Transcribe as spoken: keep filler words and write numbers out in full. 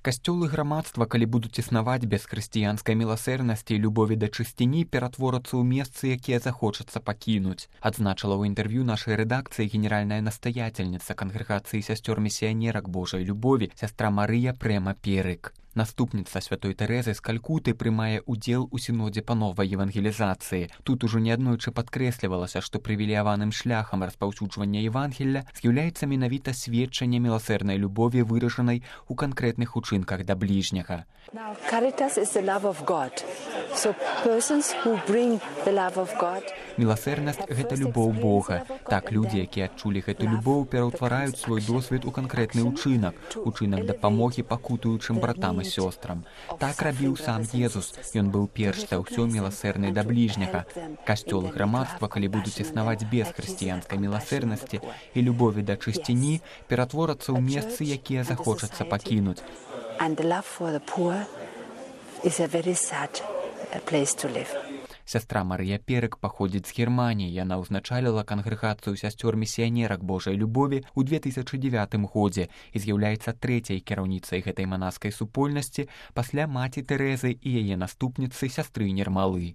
Касцёл і грамадства, калі будуць існаваць без хрысціянскай міласэрнасці і любові да чысціні, ператворацца ў месцы, якія захочацца пакінуць, адзначыла ў інтэрв'ю нашай рэдакцыі генеральная настаятельніца кангрэгацыі сясцёр-місіянерак Божай любові, сястра Марыя Прэма Перык. Наступніца святой Тэрэзы з Калькуты прымае ўдзел у сінодзе па новай евангелізацыі. Тут ужо неаднойчы падкрэслівалася, што прывілеяваным шляхам распаўсюджвання Евангелля з'яўляецца менавіта сведчанне міласэрнай любові, выражанай у канкрэтных учынках да бліжняга. Now, caritas is the love of God. So persons who bring the love of God. Міласэрнасць – гэта любоў Бога. Так, людзі, якія адчулі гэту любоў, пераўтвараюць свой досвед у канкрэтны ўчынак, учынак дапамогі пакутуючым братам і сёстрам. Так рабіў сам Езус. Ён быў перш за ўсё міласэрны да бліжняга. Касцёл і грамадства, калі будуць існаваць без хрысціянскай міласэрнасці і любові да чысціні, ператворацца ў месцы, якія захочацца пакінуць. And the love for the poor is a very sad place to live. Сястра Марыя Перык паходзіць з Германіі. Яна ўзначаліла кангрэгацыю сясцёр-місіянерак Божай любові ў две тысячы дзевятым годзе і з'яўляецца трэцяй кіраўніцай гэтай манаскай супольнасці пасля маці Тэрэзы і яе наступніцы сястры Нермалы.